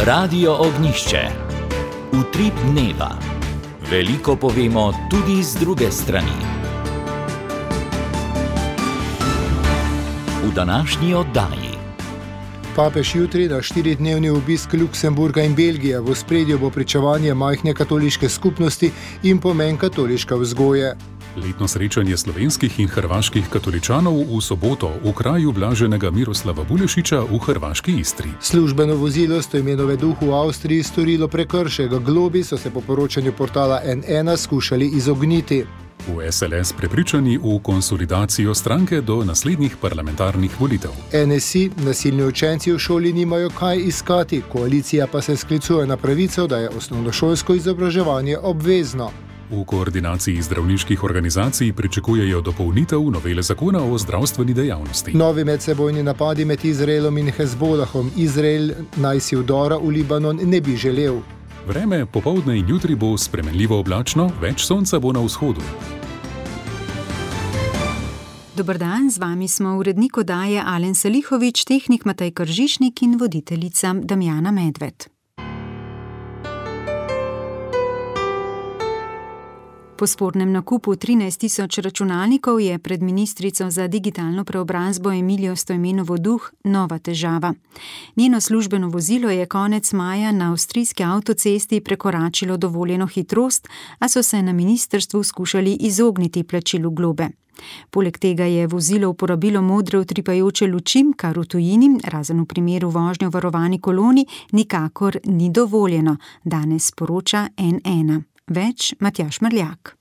Radio Ognjišče. Utrip dneva. Veliko povemo tudi z druge strani. V današnji oddaji. Papež jutri na 4-dnevni obisk Luksemburga in Belgije. V ospredju bo pričevanje majhne katoliške skupnosti in pomen katoliške vzgoje. Letno srečanje slovenskih in hrvaških katoličanov v soboto v kraju blaženega Miroslava Bulešiča v hrvaški Istri. Službeno vozilo Stojmenove Duh v Avstriji storilo prekršek. Globi so se po poročanju portala N1 skušali izogniti. V SLS prepričani v konsolidacijo stranke do naslednjih parlamentarnih volitev. NSI, nasilni učenci v šoli nimajo kaj iskati, koalicija pa se sklicuje na pravico, da je osnovnošolsko izobraževanje obvezno. V koordinaciji zdravniških organizacij pričakujejo dopolnitev novele zakona o zdravstveni dejavnosti. Novi medsebojni napadi med Izraelom in Hezbolahom. Izrael naj si vdora v Libanon ne bi želel. Vreme popoldne in jutri bo spremenljivo oblačno, več sonca bo na vzhodu. Dober dan, z vami smo urednik oddaje Alen Salihovič, tehnik Matej Kržišnik in voditeljica Damjana Medved. Po spornem nakupu 13.000 računalnikov je pred ministrico za digitalno preobrazbo Emilijo Stojmenovo Duh nova težava. Njeno službeno vozilo je konec maja na avstrijski avtocesti prekoračilo dovoljeno hitrost, a so se na ministrstvu skušali izogniti plačilu globe. Poleg tega je vozilo uporabilo modre utripajoče luči, kar v tujini, razen v primeru vožnje v varovani koloni, nikakor ni dovoljeno, danes poroča N1. Več Matjaž Mrljak.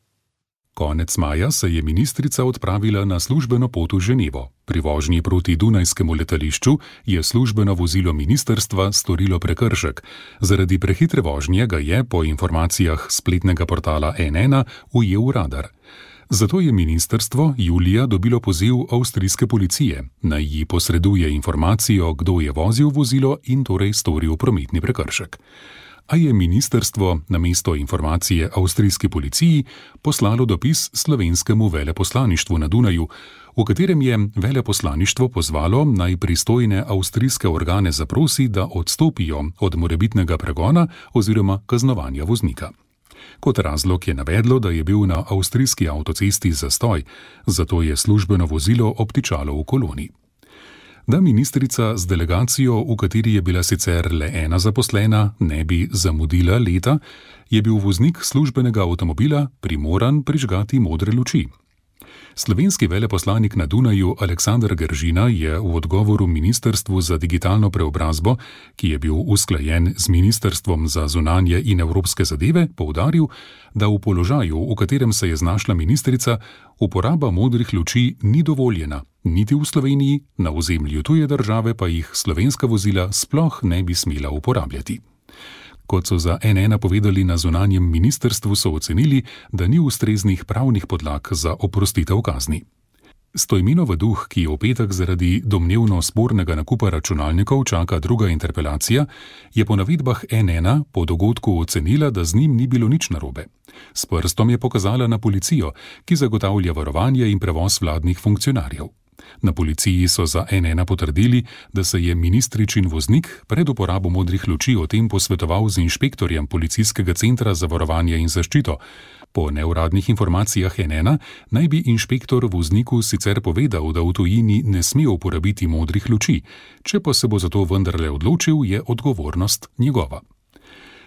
Konec maja se je ministrica odpravila na službeno pot v Ženevo. Pri vožnji proti Dunajskemu letališču je službeno vozilo ministrstva storilo prekršek. Zaradi prehitre vožnje ga je, po informacijah spletnega portala N1, ujel radar. Zato je ministrstvo julija dobilo poziv avstrijske policije, naj ji posreduje informacijo, kdo je vozil vozilo in torej storil prometni prekršek. A je ministrstvo namesto informacije avstrijski policiji poslalo dopis slovenskemu veleposlaništvu na Dunaju, v katerem je veleposlaništvo pozvalo naj pristojne avstrijske organe zaprosi, da odstopijo od morebitnega pregona oziroma kaznovanja voznika. Kot razlog je navedlo, da je bil na avstrijski avtocesti zastoj, zato je službeno vozilo obtičalo v koloni. Da ministrica z delegacijo, v kateri je bila sicer le ena zaposlena, ne bi zamudila leta, je bil voznik službenega avtomobila primoran prižgati modre luči. Slovenski veleposlanik na Dunaju Aleksander Geržina je v odgovoru Ministrstvu za digitalno preobrazbo, ki je bil usklajen z Ministrstvom za zunanje in evropske zadeve, poudaril, da v položaju, v katerem se je znašla ministrica, uporaba modrih luči ni dovoljena, niti v Sloveniji, na ozemlju tuje države pa jih slovenska vozila sploh ne bi smela uporabljati. Kot so za N1 povedali na zunanjem ministrstvu, so ocenili, da ni ustreznih pravnih podlag za oprostitev kazni. Stojmenov Duh, ki je v petek zaradi domnevno spornega nakupa računalnikov čaka druga interpelacija, je po navedbah N1 po dogodku ocenila, da z njim ni bilo nič narobe. S prstom je pokazala na policijo, ki zagotavlja varovanje in prevoz vladnih funkcionarjev. Na policiji so za N1 potrdili, da se je ministričin voznik pred uporabo modrih luči o tem posvetoval z inšpektorjem Policijskega centra za varovanje in zaščito. Po neuradnih informacijah N1 naj bi inšpektor vozniku sicer povedal, da v tujini ne sme uporabiti modrih luči, če pa se bo za to vendarle odločil, je odgovornost njegova.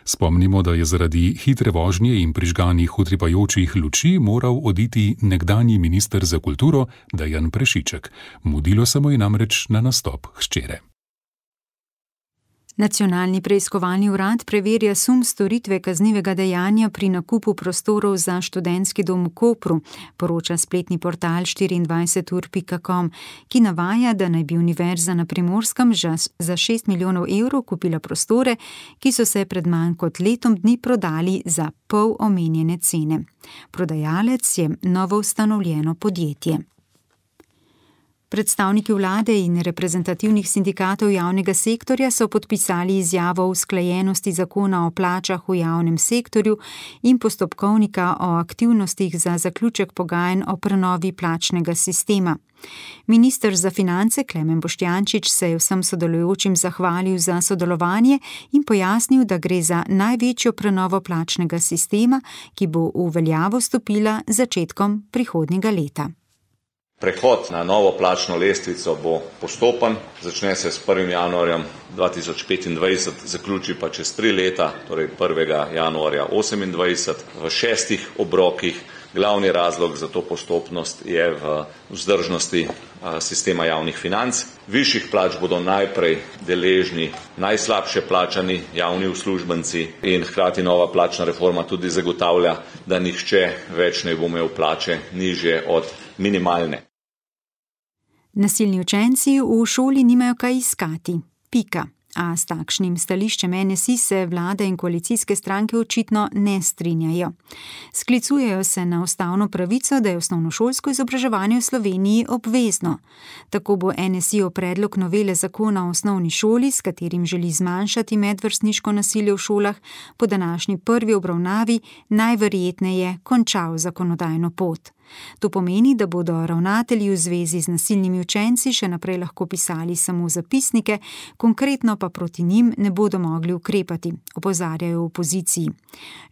Spomnimo, da je zaradi hitre vožnje in prižganih utripajočih luči moral oditi nekdanji minister za kulturo Dejan Prešiček. Mudilo se mu je namreč na nastop hčere. Nacionalni preiskovalni urad preverja sum storitve kaznivega dejanja pri nakupu prostorov za študentski dom v Kopru, poroča spletni portal 24ur.com, ki navaja, da naj bi Univerza na Primorskem za 6 milijonov evrov kupila prostore, ki so se pred manj kot letom dni prodali za pol omenjene cene. Prodajalec je novo ustanovljeno podjetje. Predstavniki vlade in reprezentativnih sindikatov javnega sektorja so podpisali izjavo o usklajenosti zakona o plačah v javnem sektorju in postopkovnika o aktivnostih za zaključek pogajanj o prenovi plačnega sistema. Minister za finance Klemen Boštjančič se je vsem sodelujočim zahvalil za sodelovanje in pojasnil, da gre za največjo prenovo plačnega sistema, ki bo v veljavo stopila z začetkom prihodnjega leta. Prehod na novo plačno lestvico bo postopen, začne se s 1. januarjem 2025, zaključi pa čez 3 leta, torej 1. januarja 2028, v 6 obrokih. Glavni razlog za to postopnost je v vzdržnosti sistema javnih financ. Višjih plač bodo najprej deležni najslabše plačani javni uslužbenci in hkrati nova plačna reforma tudi zagotavlja, da nihče več ne bo imel plače nižje od minimalne. Nasilni učenci v šoli nimajo kaj iskati. Pika. A s takšnim stališčem NSI se vlada in koalicijske stranke očitno ne strinjajo. Sklicujejo se na ustavno pravico, da je osnovnošolsko izobraževanje v Sloveniji obvezno. Tako bo NSI o predlog novele zakona o osnovni šoli, s katerim želi zmanjšati medvrstniško nasilje v šolah, po današnji prvi obravnavi najverjetneje končal zakonodajno pot. To pomeni, da bodo ravnatelji v zvezi z nasilnimi učenci še naprej lahko pisali samo zapisnike, konkretno pa proti njim ne bodo mogli ukrepati, opozarjajo v opoziciji.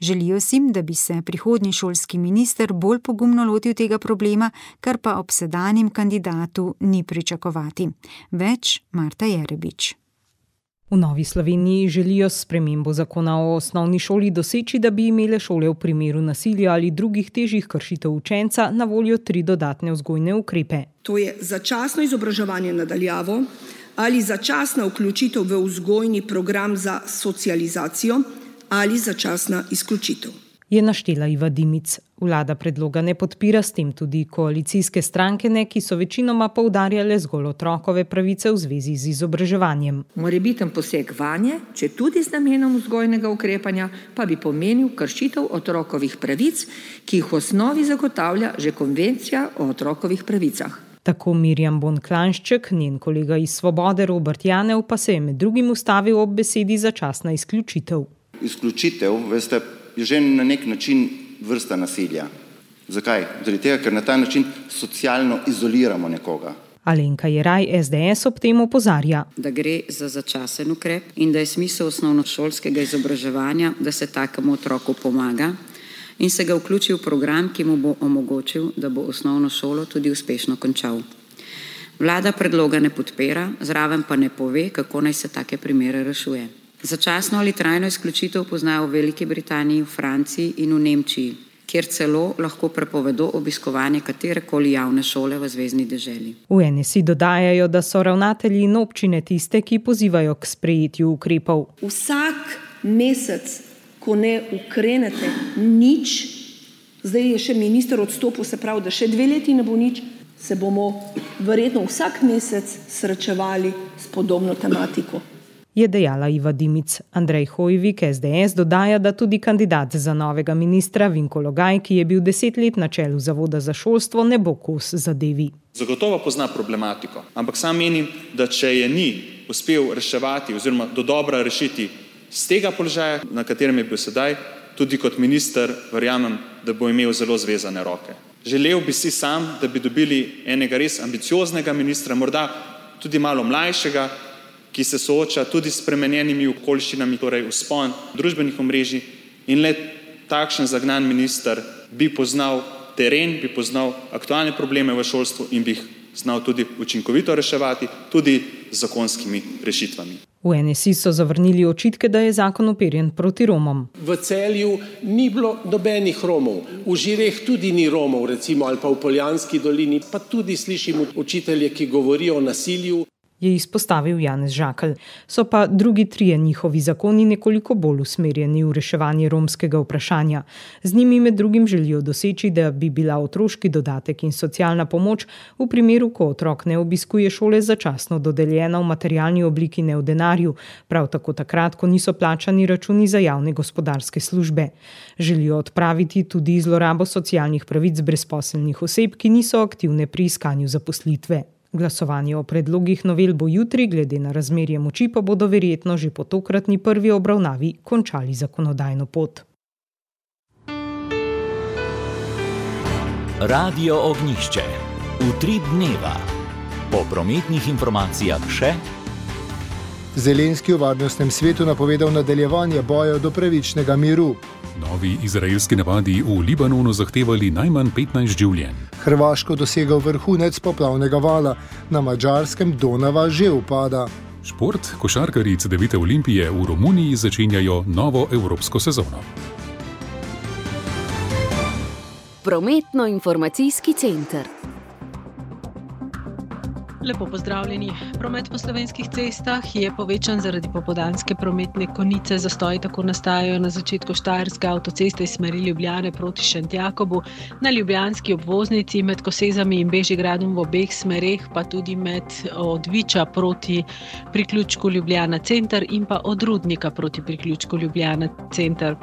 Želijo si, da bi se prihodnji šolski minister bolj pogumno lotil tega problema, kar pa ob sedanjem kandidatu ni pričakovati. Več Marta Jerebič. V Novi Sloveniji želijo s spremembo zakona o osnovni šoli doseči, da bi imele šole v primeru nasilja ali drugih težjih kršitev učenca na voljo 3 dodatne vzgojne ukrepe. To je začasno izobraževanje na daljavo ali začasna vključitev v vzgojni program za socializacijo ali začasna izključitev. Je naštela Iva Dimic. Vlada predloga ne podpira, s tem tudi koalicijske stranke ne, ki so večinoma poudarjale zgolj otrokove pravice v zvezi z izobraževanjem. Morebiten poseg vanje, če tudi z namenom vzgojnega ukrepanja, pa bi pomenil kršitev otrokovih pravic, ki jih v osnovi zagotavlja že konvencija o otrokovih pravicah. Tako Mirjam Bon-Klanšček, njen kolega iz Svobode Robert Janev pa se je med drugim ustavil ob besedi začasna izključitev. Izključitev, veste, je že na nek način vrsta nasilja. Zakaj? Zaradi tega, ker na ta način socialno izoliramo nekoga. Alenka Jeraj, SDS, ob tem opozarja, da gre za začasen ukrep in da je smisel osnovnošolskega izobraževanja, da se takemu otroku pomaga in se ga vključi v program, ki mu bo omogočil, da bo osnovno šolo tudi uspešno končal. Vlada predloga ne podpira, zraven pa ne pove, kako naj se take primere rešuje. Začasno ali trajno izključitev poznajo v Veliki Britaniji, v Franciji in v Nemčiji, kjer celo lahko prepovedo obiskovanje katerekoli javne šole v zvezni deželi. V NSI dodajajo, da so ravnatelji in občine tiste, ki pozivajo k sprejetju ukrepov. Vsak mesec, ko ne ukrenete nič, zdaj je še minister odstopil, se pravi, da še 2 leti ne bo nič, se bomo verjetno vsak mesec srečevali s podobno tematiko. Je dejala Iva Dimic. Andrej Hojvik, SDS, dodaja, da tudi kandidat za novega ministra Vinko Logaj, ki je bil 10 let na čelu Zavoda za šolstvo, ne bo kos zadevi. Zagotovo pozna problematiko, ampak sam menim, da če je ni uspel reševati oziroma dodobra rešiti z tega položaja, na katerem je bil sedaj, tudi kot minister verjamem, da bo imel zelo zvezane roke. Želel bi si sam, da bi dobili enega res ambicioznega ministra, morda tudi malo mlajšega, ki se sooča tudi s spremenjenimi okoliščinami, torej vzpon družbenih omrežij, in le takšen zagnan minister bi poznal teren, bi poznal aktualne probleme v šolstvu in bi jih znal tudi učinkovito reševati, tudi z zakonskimi rešitvami. V NSI so zavrnili očitke, da je zakon uperjen proti Romom. V Celju ni bilo nobenih Romov, v Žireh tudi ni Romov, recimo, ali pa v Poljanski dolini, pa tudi slišimo učitelje, ki govorijo o nasilju. Je izpostavil Janez Žakelj. So pa drugi 3 njihovi zakoni nekoliko bolj usmerjeni v reševanje romskega vprašanja. Z njimi med drugim želijo doseči, da bi bila otroški dodatek in socialna pomoč v primeru, ko otrok ne obiskuje šole, začasno dodeljena v materialni obliki, ne v denarju, prav tako takrat, ko niso plačani računi za javne gospodarske službe. Želijo odpraviti tudi zlorabo socialnih pravic brezposelnih oseb, ki niso aktivne pri iskanju zaposlitve. Glasovanje o predlogih novel bo jutri, glede na razmerje moči pa bodo verjetno že po tokratni prvi obravnavi končali zakonodajno pot. Radio Ognjišče. Utrip dneva. Po prometnih informacijah še. Zelenski v Varnostnem svetu napovedal nadaljevanje boja do pravičnega miru. Novi izraelski napadi v Libanonu zahtevali najmanj 15 življenj. Hrvaško dosegal vrhunec poplavnega vala, na Madžarskem Donava že upada. Šport, košarkarji Cedevite Olimpije v Romuniji začenjajo novo evropsko sezono. Prometno-informacijski center. Lepo pozdravljeni. Promet po slovenskih cestah je povečan zaradi popoldanske prometne konice. Zastoji tako nastajajo na začetku Štajerske avtoceste iz smeri Ljubljane proti Šentjakobu, na ljubljanski obvoznici med Kosezami in Bežigradom v obeh smereh, pa tudi od Viča proti priključku Ljubljana center in pa od Rudnika proti priključku Ljubljana center.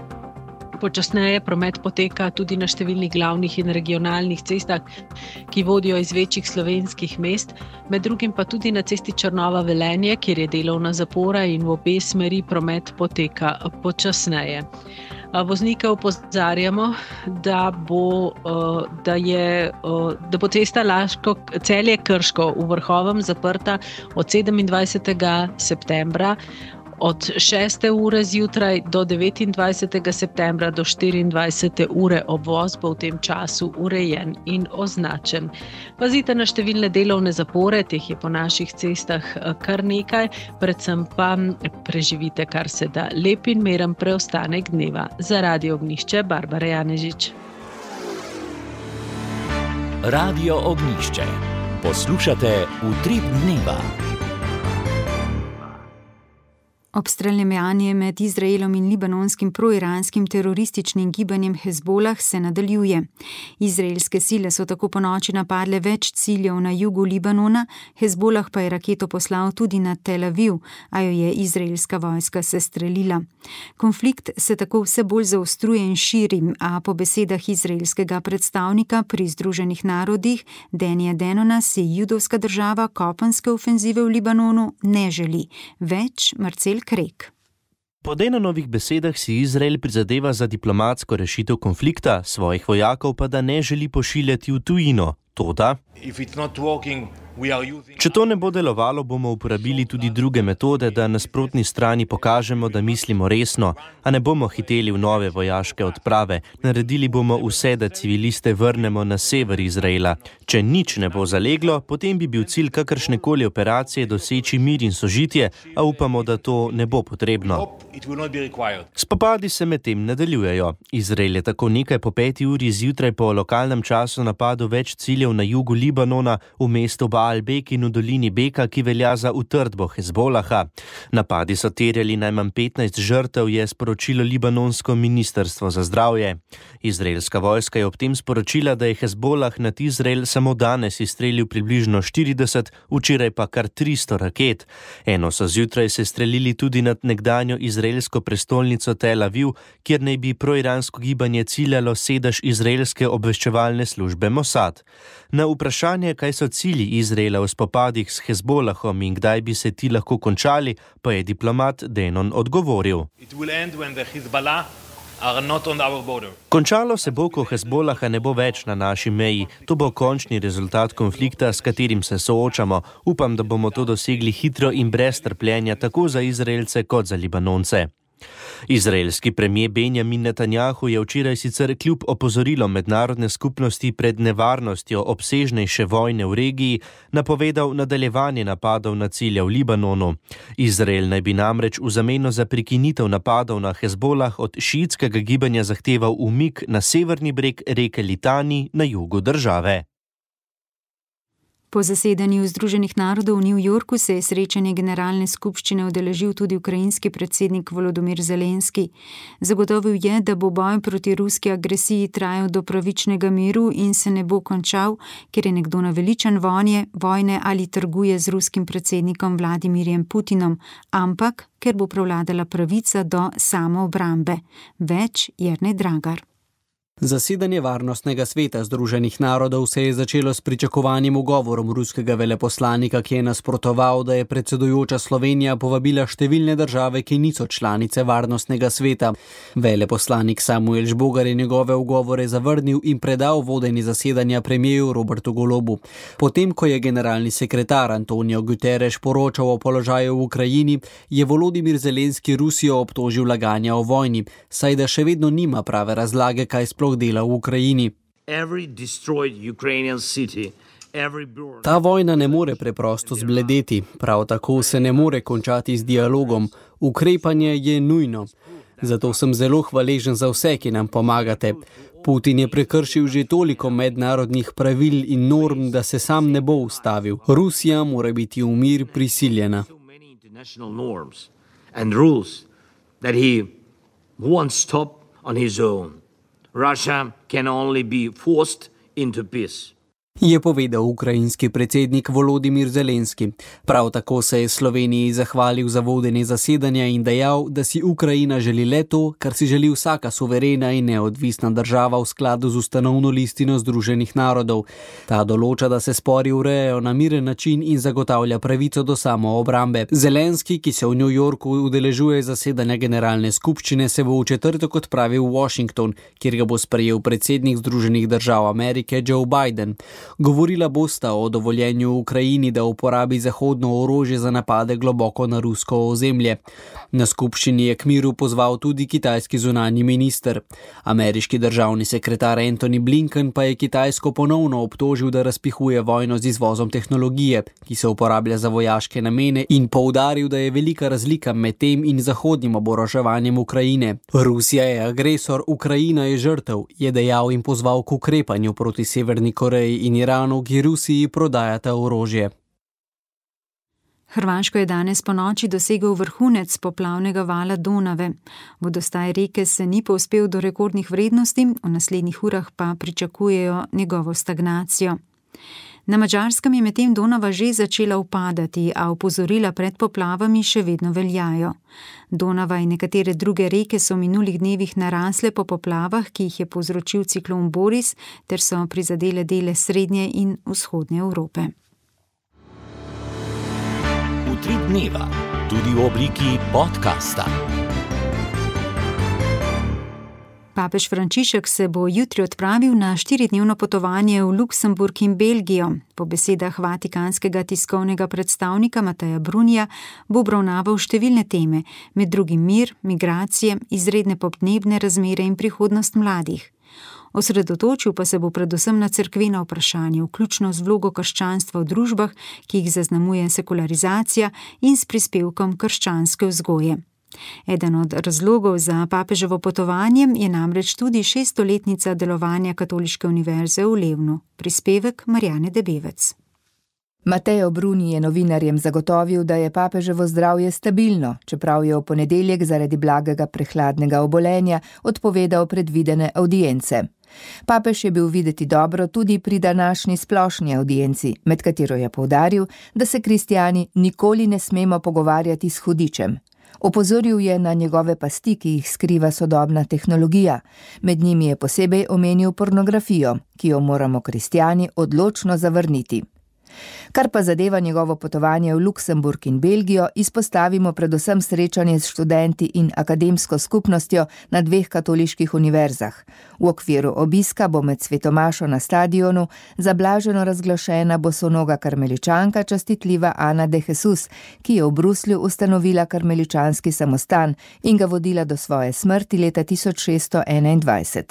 Počasneje promet poteka tudi na številnih glavnih in regionalnih cestah, ki vodijo iz večjih slovenskih mest, med drugim pa tudi na cesti Črnova-Velenje, kjer je delovna zapora in v obe smeri promet poteka počasneje. Voznike opozarjamo, da bo cesta Celje-Krško v Vrhovem zaprta od 27. septembra od 6. ure zjutraj do 29. septembra do 24. ure. Obvoz bo v tem času urejen in označen. Pazite na številne delovne zapore, teh je po naših cestah kar nekaj, predvsem pa preživite kar se da lep in miren preostanek dneva. Za Radio Ognjišče, Barbara Janežič. Radio Ognjišče. Poslušate Utrip dneva. Obstreljevanje med Izraelom in libanonskim proiranskim terorističnim gibanjem Hezbolah se nadaljuje. Izraelske sile so tako ponoči napadle več ciljev na jugu Libanona, Hezbolah pa je raketo poslal tudi na Tel Aviv, a jo je izraelska vojska sestrelila. Konflikt se tako vse bolj zaostruje in širi, a po besedah izraelskega predstavnika pri Združenih narodih Denija Denona si judovska država kopenske ofenzive v Libanonu ne želi. Več Marcel Krek. Po Denonovih besedah si Izrael prizadeva za diplomatsko rešitev konflikta, svojih vojakov pa da ne želi pošiljati v tujino. Toda, če to ne bo delovalo, bomo uporabili tudi druge metode, da nasprotni strani pokažemo, da mislimo resno, a ne bomo hiteli v nove vojaške odprave. Naredili bomo vse, da civiliste vrnemo na sever Izraela. Če nič ne bo zaleglo, potem bi bil cilj kakršnekoli operacije doseči mir in sožitje, a upamo, da to ne bo potrebno. Spopadi se medtem nadaljujejo. Izrael je tako nekaj po 5. uri zjutraj po lokalnem času napadel več ciljev na jugu Libanona, v mestu Baal-Bek in v dolini Beka, ki velja za utrdbo Hezbolaha. Napadi so terjali najmanj 15 žrtev, je sporočilo libanonsko ministrstvo za zdravje. Izraelska vojska je ob tem sporočila, da je Hezbolah nad Izrael samo danes izstrelil približno 40, včeraj pa kar 300 raket. Eno so zjutraj se strelili tudi nad nekdanjo izraelsko prestolnico Tel Aviv, kjer naj bi proiransko gibanje ciljalo sedež izraelske obveščevalne službe Mossad. Na vprašanje, kaj so cilji Izraela v spopadih s Hezbolahom in kdaj bi se ti lahko končali, pa je diplomat Denon odgovoril. Končalo se bo, ko Hezbolaha ne bo več na naši meji. To bo končni rezultat konflikta, s katerim se soočamo. Upam, da bomo to dosegli hitro in brez trpljenja, tako za Izraelce kot za Libanonce. Izraelski premier Benjamin Netanjahu je včeraj sicer kljub opozorilom mednarodne skupnosti pred nevarnostjo obsežnejše vojne v regiji napovedal nadaljevanje napadov na cilje v Libanonu. Izrael naj bi namreč v zameno za prekinitev napadov na Hezbolah od šiitskega gibanja zahteval umik na severni breg reke Litani na jugu države. Po zasedanju Združenih narodov v New Yorku se je srečanje generalne skupščine udeležil tudi ukrajinski predsednik Volodymyr Zelenski. Zagotovil je, da bo boj proti ruski agresiji trajal do pravičnega miru in se ne bo končal, ker je nekdo naveličan vojne ali trguje z ruskim predsednikom Vladimirjem Putinom, ampak ker bo prevladala pravica do samoobrambe. Več Jernej Dragar. Zasedanje Varnostnega sveta Združenih narodov se je začelo s pričakovanjem ugovorom ruskega veleposlanika, ki je nasprotoval, da je predsedujoča Slovenija povabila številne države, ki niso članice Varnostnega sveta. Veleposlanik Samuel Žbogar je njegove ugovore zavrnil in predal vodenje zasedanja premijeru Robertu Golobu. Potem, ko je generalni sekretar Antonio Guterres poročal o položaju v Ukrajini, je Volodimir Zelenski Rusijo obtožil laganja o vojni, saj da še vedno nima prave razlage, kaj sploh dela v Ukrajini. Ta vojna ne more preprosto zbledeti, prav tako se ne more končati z dialogom. Ukrepanje je nujno. Zato sem zelo hvaležen za vse, ki nam pomagate. Putin je prekršil že toliko mednarodnih pravil in norm, da se sam ne bo ustavil. Rusija mora biti v mir prisiljena. Russia can only be forced into peace. Je povedal ukrajinski predsednik Volodimir Zelenski. Prav tako se je Sloveniji zahvalil za vodenje zasedanja in dejal, da si Ukrajina želi le to, kar si želi vsaka suverena in neodvisna država v skladu z ustanovno listino Združenih narodov. Ta določa, da se spori urejajo na miren način in zagotavlja pravico do samoobrambe. Zelenski, ki se v New Yorku udeležuje zasedanja generalne skupščine, se bo v četrtek odpravil v Washington, kjer ga bo sprejel predsednik Združenih držav Amerike Joe Biden. Govorila bosta o dovoljenju Ukrajini, da uporabi zahodno orožje za napade globoko na rusko ozemlje. Na skupščini je k miru pozval tudi kitajski zunanji minister. Ameriški državni sekretar Antony Blinken pa je Kitajsko ponovno obtožil, da razpihuje vojno z izvozom tehnologije, ki se uporablja za vojaške namene, in poudaril, da je velika razlika med tem in zahodnim oboroževanjem Ukrajine. Rusija je agresor, Ukrajina je žrtev, je dejal in pozval k ukrepanju proti Severni Koreji in Iranu, ki Rusiji prodajata orožje. Hrvaško je danes ponoči dosegel vrhunec poplavnega vala Donave. Vodostaj reke se ni povzpel do rekordnih vrednosti, v naslednjih urah pa pričakujejo njegovo stagnacijo. Na Madžarskem je medtem Donava že začela upadati, a opozorila pred poplavami še vedno veljajo. Donava in nekatere druge reke so v minulih dnevih narasle po poplavah, ki jih je povzročil ciklon Boris, ter so prizadele dele srednje in vzhodne Evrope. Utrip dneva, tudi v obliki podcasta. Papež Frančišek se bo jutri odpravil na 4-dnevno potovanje v Luksemburg in Belgijo. Po besedah vatikanskega tiskovnega predstavnika Mateja Brunija bo obravnaval številne teme, med drugim mir, migracije, izredne podnebne razmere in prihodnost mladih. Osredotočil pa se bo predvsem na cerkvena vprašanja, vključno z vlogo krščanstva v družbah, ki jih zaznamuje sekularizacija, in s prispevkom krščanske vzgoje. Eden od razlogov za papeževo potovanje je namreč tudi 600-letnica delovanja Katoliške univerze v Levnu. Prispevek Marjane Debevec. Mateo Bruni je novinarjem zagotovil, da je papeževo zdravje stabilno, čeprav je v ponedeljek zaradi blagega prehladnega obolenja odpovedal predvidene avdience. Papež je bil videti dobro tudi pri današnji splošni avdienci, med katero je poudaril, da se kristjani nikoli ne smemo pogovarjati s hudičem. Opozoril je na njegove pasti, ki jih skriva sodobna tehnologija. Med njimi je posebej omenil pornografijo, ki jo moramo kristjani odločno zavrniti. Kar pa zadeva njegovo potovanje v Luksemburg in Belgijo, izpostavimo predvsem srečanje s študenti in akademsko skupnostjo na 2 katoliških univerzah. V okviru obiska bo med svetomašo na stadionu zablaženo razglašena bosonoga karmeličanka častitljiva Ana de Jesus, ki je v Bruslju ustanovila karmeličanski samostan in ga vodila do svoje smrti leta 1621.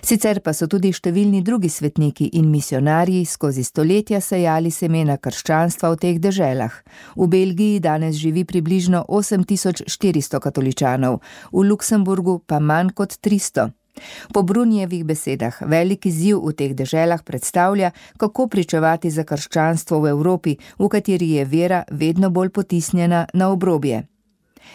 Sicer pa so tudi številni drugi svetniki in misionarji skozi stoletja sejali semena krščanstva v teh deželah. V Belgiji danes živi približno 8400 katoličanov, v Luksemburgu pa manj kot 300. Po Brunijevih besedah velik izziv v teh deželah predstavlja, kako pričevati za krščanstvo v Evropi, v kateri je vera vedno bolj potisnjena na obrobje.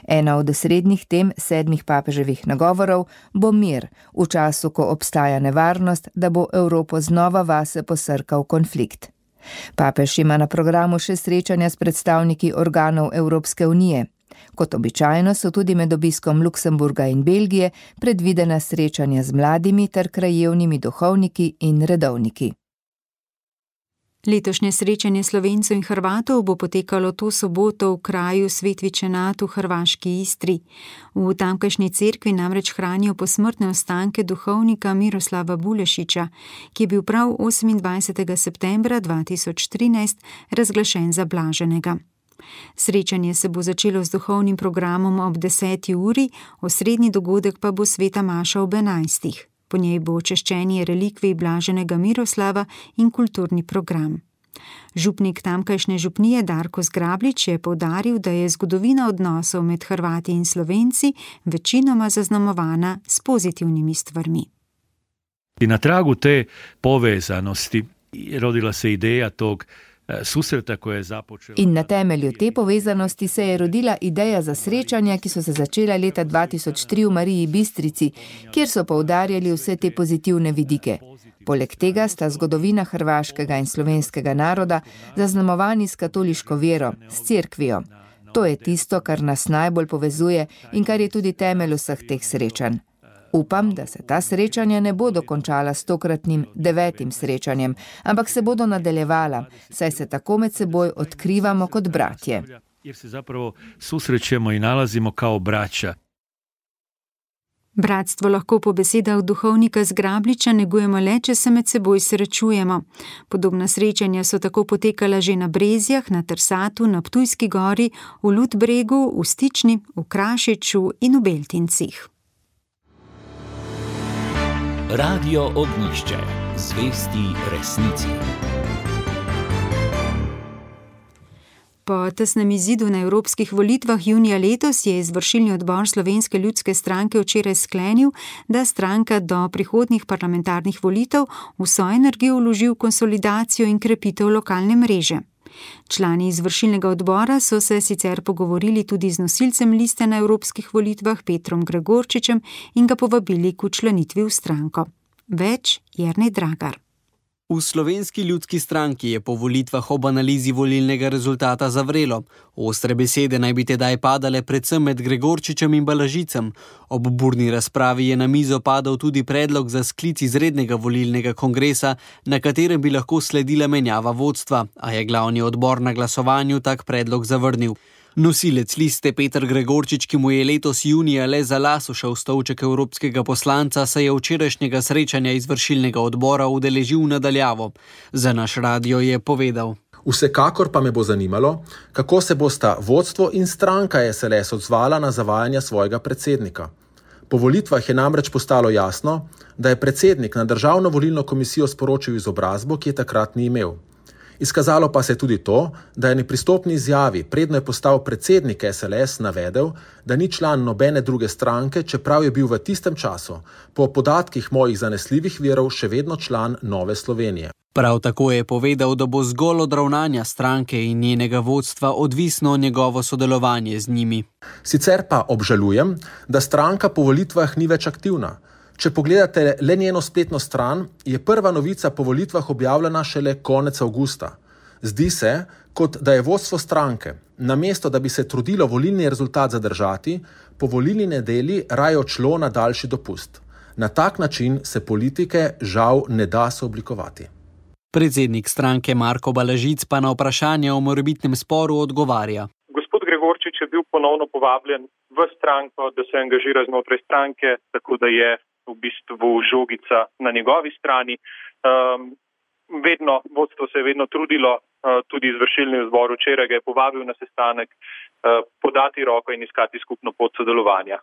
Ena od osrednjih tem 7 papeževih nagovorov bo mir, v času, ko obstaja nevarnost, da bo Evropo znova vase posrkal konflikt. Papež ima na programu še srečanja s predstavniki organov Evropske unije. Kot običajno so tudi med obiskom Luksemburga in Belgije predvidena srečanja z mladimi ter krajevnimi duhovniki in redovniki. Letošnje srečanje Slovencev in Hrvatov bo potekalo to soboto v kraju Svetvičenat v hrvaški Istri. V tamkajšnji cerkvi namreč hranijo posmrtne ostanke duhovnika Miroslava Bulešiča, ki je bil prav 28. septembra 2013 razglašen za blaženega. Srečanje se bo začelo z duhovnim programom ob 10. uri, osrednji dogodek pa bo sveta maša ob 11. Po njej bo češčenje relikvij blaženega Miroslava in kulturni program. Župnik tamkajšnje župnije Darko Zgrablič je poudaril, da je zgodovina odnosov med Hrvati in Slovenci večinoma zaznamovana s pozitivnimi stvarmi. Na tragu te povezanosti rodila se ideja tog susreta, ko je započela. In na temelju te povezanosti se je rodila ideja za srečanja, ki so se začela leta 2003 v Mariji Bistrici, kjer so poudarjali vse te pozitivne vidike. Poleg tega sta zgodovina hrvaškega in slovenskega naroda zaznamovani s katoliško vero, s cerkvijo. To je tisto, kar nas najbolj povezuje in kar je tudi temelj vseh teh srečanj. Upam, da se ta srečanja ne bodo končala s tokratnim 9. srečanjem, ampak se bodo nadaljevala, saj se tako med seboj odkrivamo kot bratje. Jer se zapravo susrećemo i nalazimo kao braća. Bratstvo lahko po besedah duhovnika Zgrabliča negujemo le, če se med seboj srečujemo. Podobna srečanja so tako potekala že na Brezjah, na Trsatu, na Ptujski gori, v Ludbregu, v Stični, v Krašiču in v Beltincih. Radio Ognjišče, zvesti resnici. Po tesnem izidu na evropskih volitvah junija letos je izvršilni odbor Slovenske ljudske stranke včeraj sklenil, da stranka do prihodnjih parlamentarnih volitev vso energijo vloži v konsolidacijo in krepitev lokalne mreže. Člani izvršilnega odbora so se sicer pogovorili tudi z nosilcem liste na evropskih volitvah Petrom Gregorčičem in ga povabili k včlanitvi v stranko. Več Jernej Dragar. V Slovenski ljudski stranki je po volitvah ob analizi volilnega rezultata zavrelo. Ostre besede naj bi tedaj padale predvsem med Gregorčičem in Balažicem. Ob burni razpravi je na mizo padal tudi predlog za sklic izrednega volilnega kongresa, na katerem bi lahko sledila menjava vodstva, a je glavni odbor na glasovanju tak predlog zavrnil. Nosilec liste Peter Gregorčič, ki mu je letos junija le za las ušel stolček evropskega poslanca, se je včerajšnjega srečanja izvršilnega odbora udeležil nadaljavo. Za naš radio je povedal: Vsekakor pa me bo zanimalo, kako se bosta vodstvo in stranka SLS odzvala na zavajanja svojega predsednika. Po volitvah je namreč postalo jasno, da je predsednik na Državno volilno komisijo sporočil izobrazbo, ki je takrat ni imel. Izkazalo pa se je tudi to, da je na pristopni izjavi, predno je postal predsednik SLS, navedel, da ni član nobene druge stranke, čeprav je bil v tistem času, po podatkih mojih zanesljivih virov, še vedno član Nove Slovenije. Prav tako je povedal, da bo zgolj od ravnanja stranke in njenega vodstva odvisno njegovo sodelovanje z njimi. Sicer pa obžalujem, da stranka po volitvah ni več aktivna. Če pogledate le njeno spletno stran, je prva novica po volitvah objavljena šele konec avgusta. Zdi se, kot da je vodstvo stranke, namesto da bi se trudilo volilni rezultat zadržati, po volilni nedelji raje odšlo na daljši dopust. Na tak način se politike žal ne da sooblikovati. Predsednik stranke Marko Balažic pa na vprašanje o morebitnem sporu odgovarja. Gospod Gregorčič je bil ponovno povabljen v stranko, da se angažira znotraj stranke, tako da je v bistvu žogica na njegovi strani. Vodstvo se je vedno trudilo, tudi izvršilni odbor včeraj ga je povabil na sestanek, podati roko in iskati skupno pot sodelovanja.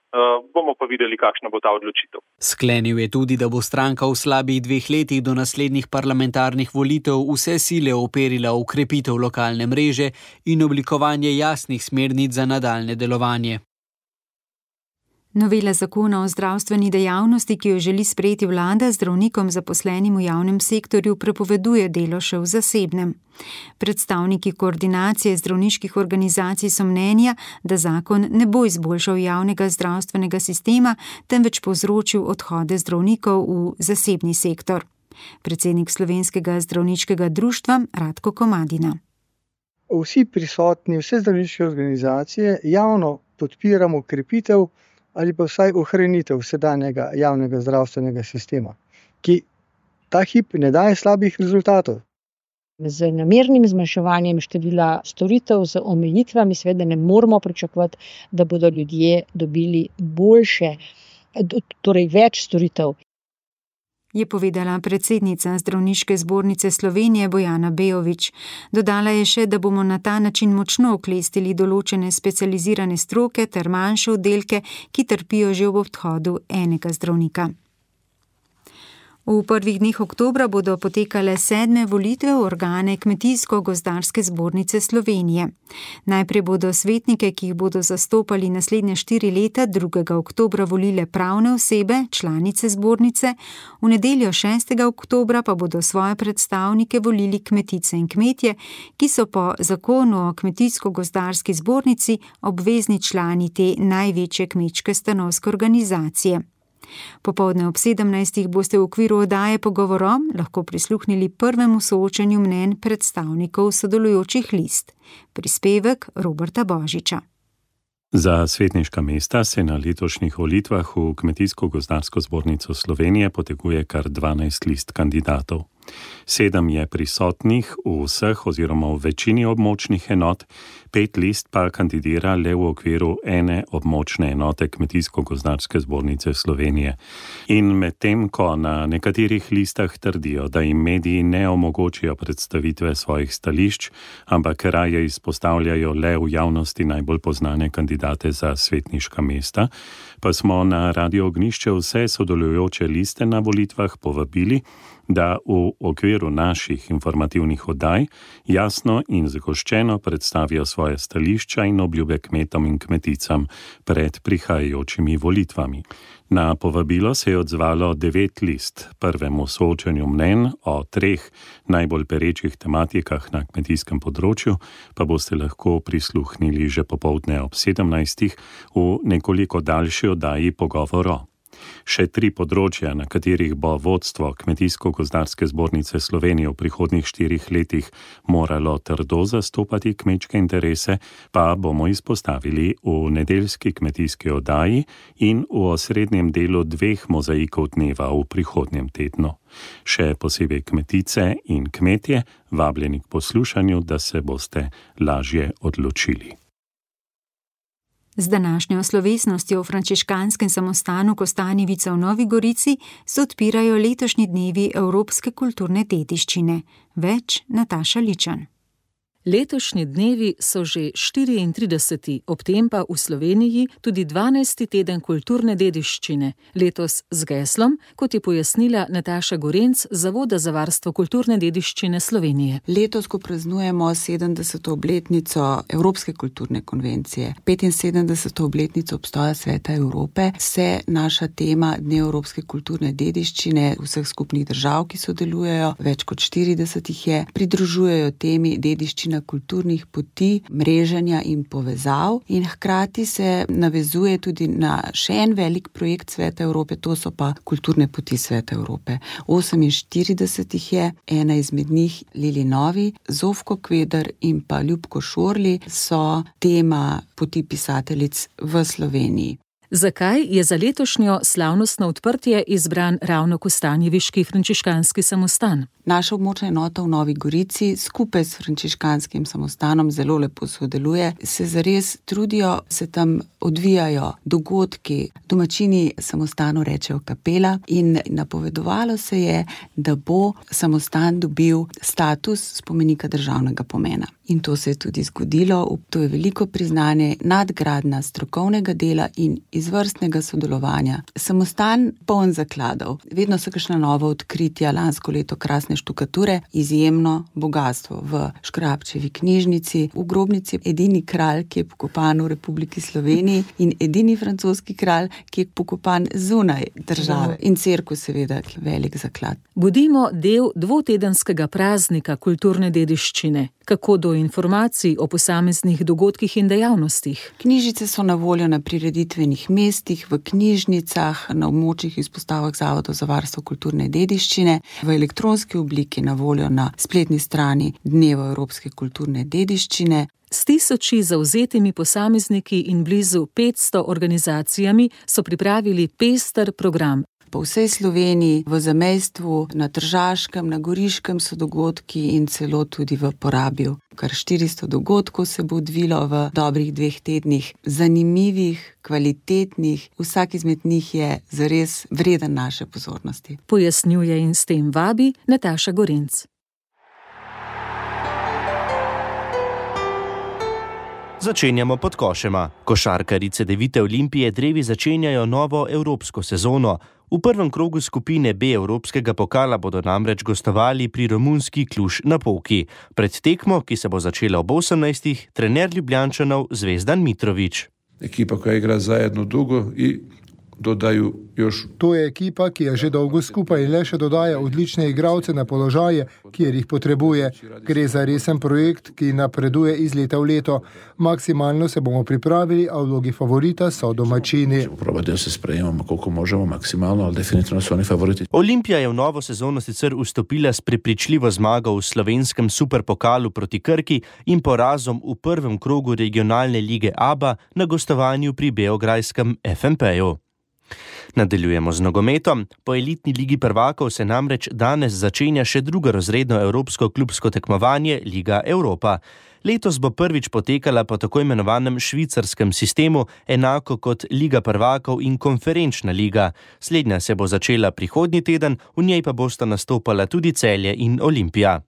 Bomo pa videli, kakšna bo ta odločitev. Sklenil je tudi, da bo stranka v slabih 2 letih do naslednjih parlamentarnih volitev vse sile operila v krepitev lokalne mreže in oblikovanje jasnih smernic za nadaljne delovanje. Novela zakona o zdravstveni dejavnosti, ki jo želi sprejeti vlada, zdravnikom zaposlenim v javnem sektorju prepoveduje delo še v zasebnem. Predstavniki koordinacije zdravniških organizacij so mnenja, da zakon ne bo izboljšal javnega zdravstvenega sistema, temveč povzročil odhode zdravnikov v zasebni sektor. Predsednik Slovenskega zdravniškega društva Radko Komadina. vsi prisotni, vse zdravniške organizacije javno podpiramo krepitev ali pa vsaj ohranitev sedanjega javnega zdravstvenega sistema, ki ta hip ne daje slabih rezultatov. Z namernim zmanjševanjem števila storitev, z omejitvami, seveda ne moramo pričakovati, da bodo ljudje dobili boljše, torej več storitev. Je povedala predsednica Zdravniške zbornice Slovenije Bojana Bejović. Dodala je še, da bomo na ta način močno oklestili določene specializirane stroke ter manjše oddelke, ki trpijo že ob odhodu enega zdravnika. V prvih dneh oktobra bodo potekale 7. volitve v organe Kmetijsko-gozdarske zbornice Slovenije. Najprej bodo svetnike, ki jih bodo zastopali naslednje 4 leta, 2. oktobra volile pravne osebe, članice zbornice, v nedeljo 6. oktobra pa bodo svoje predstavnike volili kmetice in kmetje, ki so po zakonu o Kmetijsko-gozdarski zbornici obvezni člani te največje kmečke stanovske organizacije. Popoldne ob 17. boste v okviru oddaje Pogovorom lahko prisluhnili prvemu soočenju mnenj predstavnikov sodelujočih list. Prispevek Roberta Božiča. Za svetniška mesta se na letošnjih volitvah v Kmetijsko-gozdarsko zbornico Slovenije poteguje kar 12 list kandidatov. 7 je prisotnih v vseh oziroma v večini območnih enot, 5 list pa kandidira le v okviru ene območne enote Kmetijsko-gozdarske zbornice Slovenije. In medtem, ko na nekaterih listah trdijo, da jim mediji ne omogočijo predstavitve svojih stališč, ampak raje izpostavljajo le v javnosti najbolj poznane kandidate za svetniška mesta, pa smo na Radio Ognjišče vse sodelujoče liste na volitvah povabili, da v okviru naših informativnih oddaj jasno in zagoščeno predstavijo svoje stališča in obljube kmetom in kmeticam pred prihajajočimi volitvami. Na povabilo se je odzvalo 9 list. Prvemu soočenju mnenj o 3 najbolj perečih tematikah na kmetijskem področju pa boste lahko prisluhnili že popoldne ob 17. v nekoliko daljši oddaji Pogovoro. Še 3 področja, na katerih bo vodstvo Kmetijsko-gozdarske zbornice Slovenije v prihodnjih 4 letih moralo trdo zastopati kmečke interese, pa bomo izpostavili v nedeljski kmetijski oddaji in v osrednjem delu 2 mozaikov dneva v prihodnjem tednu. Še posebej kmetice in kmetje, vabljeni k poslušanju, da se boste lažje odločili. Z današnjo slovesnostjo v frančiškanskem samostanu Kostanjevica v Novi Gorici se odpirajo letošnji dnevi evropske kulturne dediščine. Več Nataša Ličan. Letošnji dnevi so že 34. ob tem pa v Sloveniji tudi 12. teden kulturne dediščine, letos z geslom, kot je pojasnila Nataša Gorenc z Zavoda za varstvo kulturne dediščine Slovenije. Letos, ko praznujemo 70. obletnico Evropske kulturne konvencije, 75. obletnico obstoja Sveta Evrope, se naša tema Dne evropske kulturne dediščine vseh skupnih držav, ki sodelujejo, več kot 40 jih je, pridružujejo temi dediščine kulturnih poti, mreženja in povezav in hkrati se navezuje tudi na še en velik projekt Sveta Evrope, to so pa kulturne poti Sveta Evrope. 48 jih je, ena izmed njih Lili Novi, Zofko Kveder in pa Ljubko Šorli so tema poti pisateljic v Sloveniji. Zakaj je za letošnjo slavnostno odprtje izbran ravno kostanjeviški frančiškanski samostan? Naša območna enota v Novi Gorici skupaj s frančiškanskim samostanom zelo lepo sodeluje, se zares trudijo, se tam odvijajo dogodki, domačini samostanu rečejo kapela in napovedovalo se je, da bo samostan dobil status spomenika državnega pomena. In to se je tudi zgodilo, to je veliko priznanje, nadgradnja strokovnega dela in izvrstnega sodelovanja. Samostan poln zakladov, vedno so kakšna nova odkritja, lansko leto krasne štukature, izjemno bogatstvo v Škrabčevi knjižnici, v grobnici edini kralj, ki je pokopan v Republiki Sloveniji in edini francoski kralj, ki je pokopan zunaj države in cerkev seveda, ki je velik zaklad. Bodimo del dvotedenskega praznika kulturne dediščine. Kako do do informacij o posameznih dogodkih in dejavnostih. Knjižice so na voljo na prireditvenih mestih, v knjižnicah, na območjih izpostavah Zavodov za varstvo kulturne dediščine, v elektronski obliki na voljo na spletni strani Dneva evropske kulturne dediščine. S 1000 zavzetimi posamezniki in blizu 500 organizacijami so pripravili pester program. Po vsej Sloveniji, v zamejstvu, na Tržaškem, na Goriškem so dogodki in celo tudi v Porabju. Kar 400 dogodkov se bo odvilo v dobrih 2 tednih, zanimivih, kvalitetnih, vsak izmed njih je zares vreden naše pozornosti. Pojasnjuje in s tem vabi Nataša Gorenc. Začenjamo pod košema. Košarkarice Devite Olimpije drevi začenjajo novo evropsko sezono. V prvem krogu skupine B Evropskega pokala bodo namreč gostovali pri romunski Kluž na Polki. Pred tekmo, ki se bo začela ob 18. trener Ljubljančanov Zvezdan Mitrović. Ekipa koja igra zajedno dugo i dodaju još. To je ekipa, ki je že dolgo skupaj in le še dodaja odlične igralce na položaje, kjer jih potrebuje. Gre za resen projekt, ki napreduje iz leta v leto. Maksimalno se bomo pripravili, a v vlogi favorita so domačini. Probati da se sprejemamo koliko možemo maksimalno, ali definitivno so oni favoriti. Olimpija je v novo sezono sicer vstopila s prepričljivo zmago v slovenskem superpokalu proti Krki in porazom v prvem krogu regionalne lige ABA na gostovanju pri beograjskem FNP-ju. Nadaljujemo z nogometom. Po elitni ligi prvakov se namreč danes začenja še drugorazredno evropsko klubsko tekmovanje Liga Evropa. Letos bo prvič potekala po tako imenovanem švicarskem sistemu, enako kot Liga prvakov in konferenčna liga. Slednja se bo začela prihodnji teden, v njej pa bosta nastopala tudi Celje in Olimpija.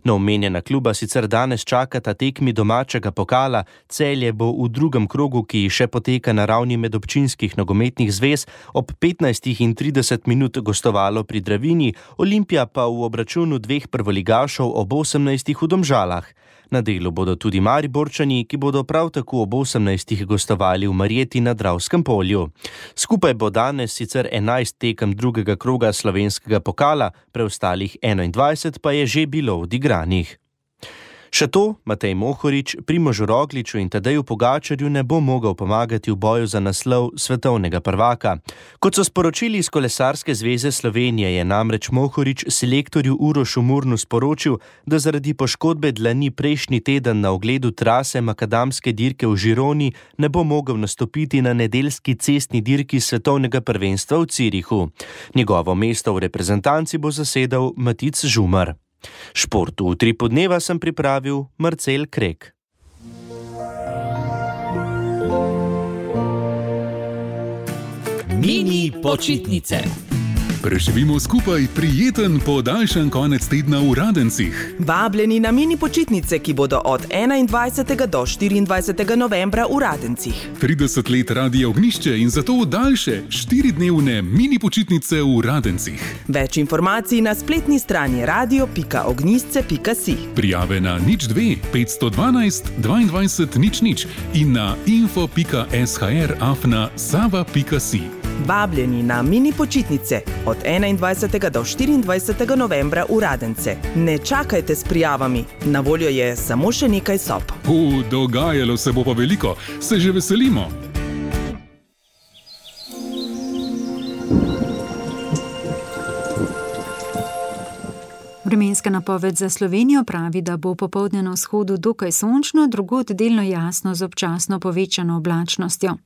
Na omenjena kluba sicer danes čakata tekmi domačega pokala. Celje bo v drugem krogu, ki še poteka na ravni medobčinskih nogometnih zvez, ob 15:30 gostovalo pri Dravini, Olimpija pa v obračunu 2 prvoligašov ob 18. v Domžalah. Na delu bodo tudi Mariborčani, ki bodo prav tako ob 18. gostovali v Marjeti na Dravskem polju. Skupaj bo danes sicer 11 tekem drugega kroga slovenskega pokala, preostalih 21 pa je že bilo odigranih. Še to, Matej Mohorič, Primožu Rogliču in Tadeju Pogačarju ne bo mogel pomagati v boju za naslov svetovnega prvaka. Kot so sporočili iz Kolesarske zveze Slovenije, je namreč Mohorič selektorju Urošu Murnu sporočil, da zaradi poškodbe dlani prejšnji teden na ogledu trase makadamske dirke v Žironi ne bo mogel nastopiti na nedeljski cestni dirki svetovnega prvenstva v Cirihu. Njegovo mesto v reprezentanci bo zasedal Matic Žumar. Šport v Utripu dneva sem pripravil Marcel Krek. Mini počitnice. Preživimo skupaj prijeten podaljšan konec tedna v Radencih. Vabljeni na mini počitnice, ki bodo od 21. do 24. novembra v Radencih. 30 let Radia Ognišče in zato daljše 4-dnevne mini počitnice v Radencih. Več informacij na spletni strani radio.ognisce.si. Prijave na 02 512 22 00 in na info.shr@sava.si. Vabljeni na mini počitnice od 21. do 24. novembra v Radence. Ne čakajte s prijavami, na voljo je samo še nekaj sob. Dogajalo se bo pa veliko, se že veselimo. Vremenska napoved za Slovenijo pravi, da bo popoldne na vzhodu dokaj sončno, drugod delno jasno z občasno povečano oblačnostjo.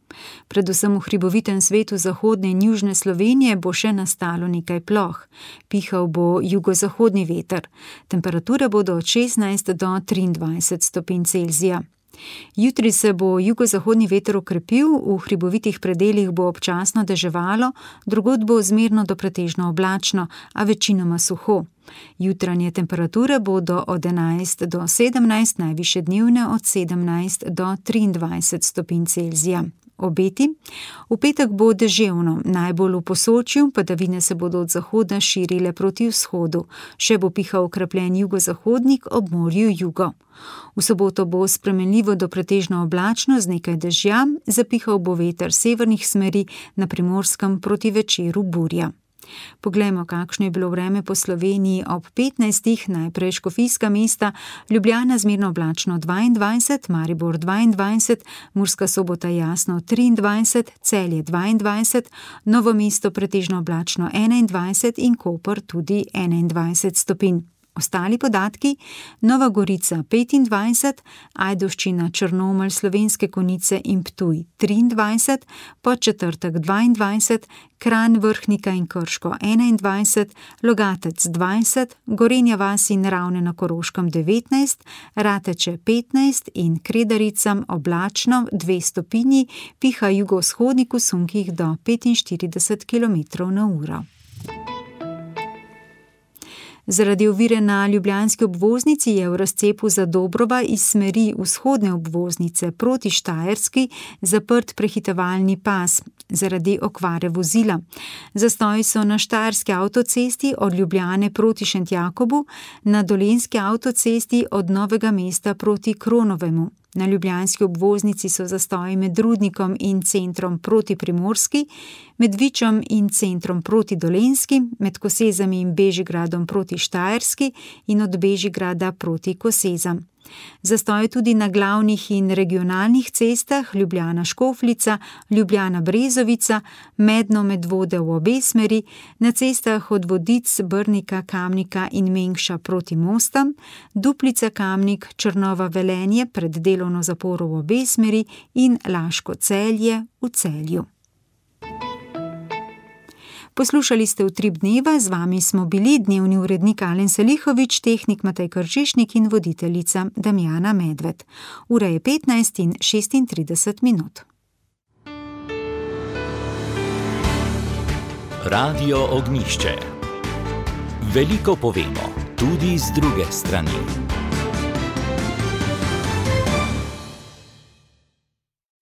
Predvsem v hribovitem svetu zahodne in južne Slovenije bo še nastalo nekaj ploh. Pihal bo jugozahodni veter. Temperature bodo od 16 do 23 stopinj Celzija. Jutri se bo jugozahodni veter okrepil, v hribovitih predelih bo občasno deževalo, drugod bo zmerno do pretežno oblačno, a večinoma suho. Jutranje temperature bodo od 11 do 17, najvišje dnevne od 17 do 23 stopinj Celzija. Obeti. V petek bo deževno, najbolj v Posočju, padavine se bodo od zahoda širile proti vzhodu. Še bo pihal okrepljen jugozahodnik, ob morju jugo. V soboto bo spremenljivo do pretežno oblačno z nekaj dežja, zapihal bo veter severnih smeri, na Primorskem proti večeru burja. Poglejmo, kakšno je bilo vreme po Sloveniji ob 15. Najprej škofijska mesta, Ljubljana zmerno oblačno 22, Maribor 22, Murska Sobota jasno 23, Celje 22, Novo mesto pretežno oblačno 21 in Koper tudi 21 stopinj. Ostali podatki: Nova Gorica 25, Ajdovščina, Črnomelj, Slovenske Konjice in Ptuj 23, Podčetrtek 22, Kranj, Vrhnika in Krško 21, Logatec 20, Gorenja vas in Ravne na Koroškem 19, Rateče 15 in Kredaricam oblačno 2 stopinji, piha jugovzhodnik v sunkih do 45 km/h. Zaradi ovire na ljubljanski obvoznici je v razcepu Zadobrova iz smeri vzhodne obvoznice proti Štajerski zaprt prehitevalni pas zaradi okvare vozila. Zastoji so na Štajerski avtocesti od Ljubljane proti Šentjakobu, na Dolenjski avtocesti od Novega mesta proti Kronovemu. Na ljubljanski obvoznici so zastoji med Rudnikom in centrom proti Primorski, med Vičom in centrom proti Dolenjski, med Kosezami in Bežigradom proti Štajerski in od Bežigrada proti Kosezam. Zastoj tudi na glavnih in regionalnih cestah Ljubljana-Škofljica, Ljubljana-Brezovica, Medno-Medvode v obe smeri, na cestah od Vodic, Brnika, Kamnika in Mengša proti Mostam, Duplica-Kamnik, Črnova-Velenje pred delovno zaporo v obe smeri in Laško-Celje v Celju. Poslušali ste Utrip dneva, z vami smo bili dnevni urednik Alen Selihovič, tehnik Matej Kržišnik in voditeljica Damjana Medved. Ura je 15:36. Radio Ognjišče. Veliko povemo, tudi z druge strani.